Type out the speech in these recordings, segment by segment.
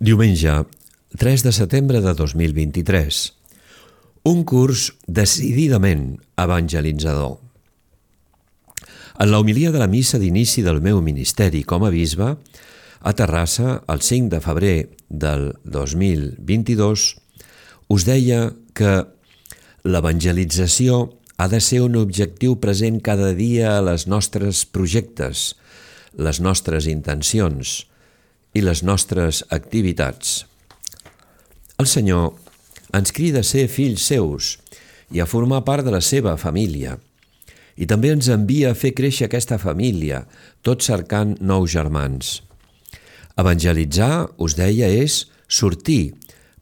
Diumenge, 3 de setembre de 2023. Un curs decididament evangelitzador. En la homilia de la missa d'inici del meu ministeri com a bisbe, a Terrassa, el 5 de febrer del 2022, us deia que l'evangelització ha de ser un objectiu present cada dia a les nostres projectes, les nostres intencions i les nostres activitats. El Senyor ens crida a ser fills seus i a formar part de la seva família. I també ens envia a fer créixer aquesta família, tot cercant nous germans. Evangelitzar, us deia, és sortir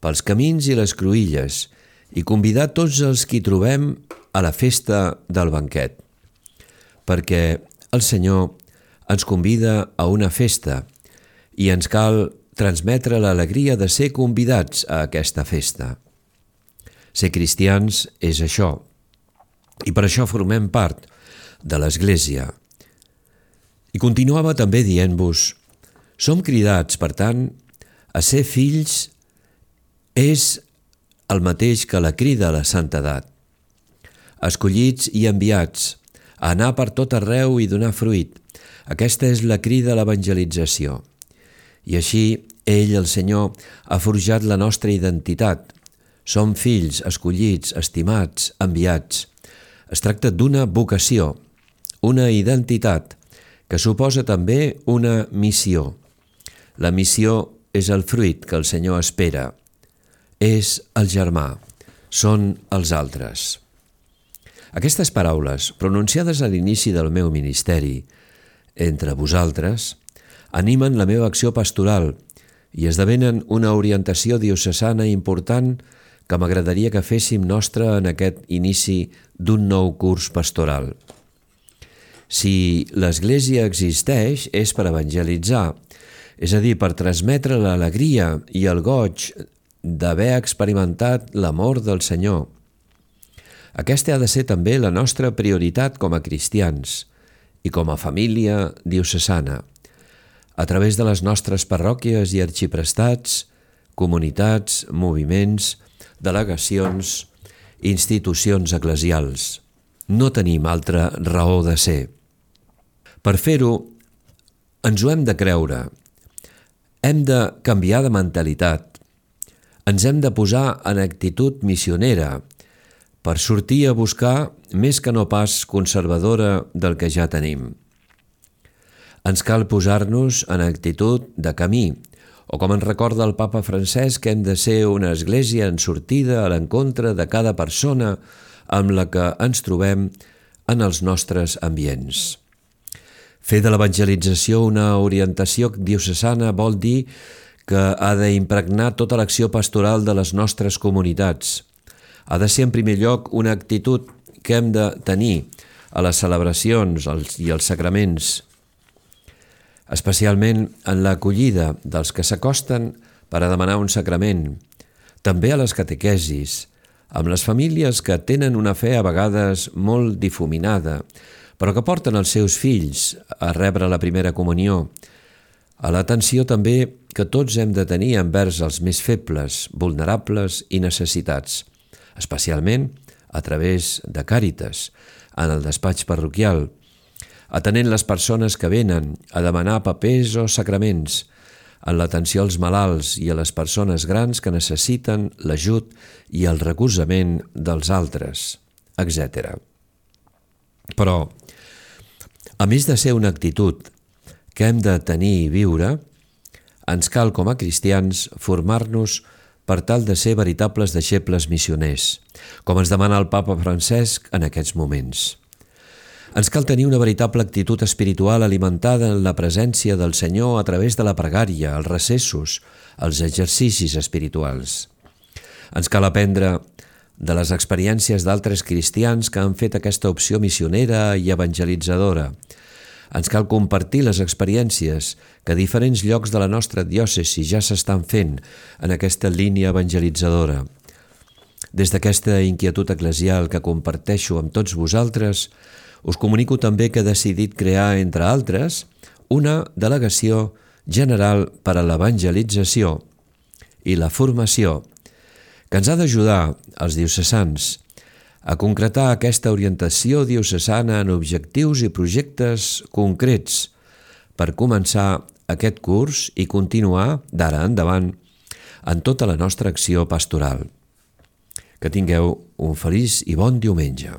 pels camins i les cruïlles i convidar tots els qui trobem a la festa del banquet. Perquè el Senyor ens convida a una festa i ens cal transmetre l'alegria de ser convidats a aquesta festa. Ser cristians és això, i per això formem part de l'Església. I continuava també dient-vos, som cridats, per tant, a ser fills és el mateix que la crida a la santedat. Escollits i enviats, a anar per tot arreu i donar fruit. Aquesta és la crida a l'evangelització. I així, ell, el Senyor, ha forjat la nostra identitat. Som fills, escollits, estimats, enviats. Es tracta d'una vocació, una identitat, que suposa també una missió. La missió és el fruit que el Senyor espera. És el germà, són els altres. Aquestes paraules, pronunciades a l'inici del meu ministeri, entre vosaltres, animen la meva acció pastoral i esdevenen una orientació diocesana important que m'agradaria que féssim nostra en aquest inici d'un nou curs pastoral. Si l'Església existeix és per evangelitzar, és a dir, per transmetre l'alegria i el goig d'haver experimentat l'amor del Senyor. Aquesta ha de ser també la nostra prioritat com a cristians i com a família diocesana, a través de les nostres parròquies i arxiprestats, comunitats, moviments, delegacions, institucions eclesials. No tenim altra raó de ser. Per fer-ho, ens ho hem de creure. Hem de canviar de mentalitat. Ens hem de posar en actitud missionera per sortir a buscar més que no pas conservadora del que ja tenim. Ens cal posar-nos en actitud de camí, o com ens recorda el papa Francesc, hem de ser una església en sortida a l'encontre de cada persona amb la que ens trobem en els nostres ambients. Fer de l'evangelització una orientació diocesana vol dir que ha d'impregnar tota l'acció pastoral de les nostres comunitats. Ha de ser en primer lloc una actitud que hem de tenir a les celebracions i als sacraments, especialment en l'acollida dels que s'acosten per a demanar un sacrament, també a les catequesis, amb les famílies que tenen una fe a vegades molt difuminada, però que porten els seus fills a rebre la primera comunió, a l'atenció també que tots hem de tenir envers els més febles, vulnerables i necessitats, especialment a través de Càritas, en el despatx parroquial, atenent les persones que venen a demanar papers o sacraments, en l'atenció als malalts i a les persones grans que necessiten l'ajut i el recolzament dels altres, etc. Però, a més de ser una actitud que hem de tenir i viure, ens cal com a cristians formar-nos per tal de ser veritables deixebles missioners, com ens demana el papa Francesc en aquests moments. Ens cal tenir una veritable actitud espiritual alimentada en la presència del Senyor a través de la pregària, els recessos, els exercicis espirituals. Ens cal aprendre de les experiències d'altres cristians que han fet aquesta opció missionera i evangelitzadora. Ens cal compartir les experiències que a diferents llocs de la nostra diòcesi ja s'estan fent en aquesta línia evangelitzadora. Des d'aquesta inquietud eclesial que comparteixo amb tots vosaltres, us comunico també que he decidit crear, entre altres, una delegació general per a l'evangelització i la formació, que ens ha d'ajudar als diocesans a concretar aquesta orientació diocesana en objectius i projectes concrets per començar aquest curs i continuar d'ara endavant en tota la nostra acció pastoral. Que tingueu un feliç i bon diumenge.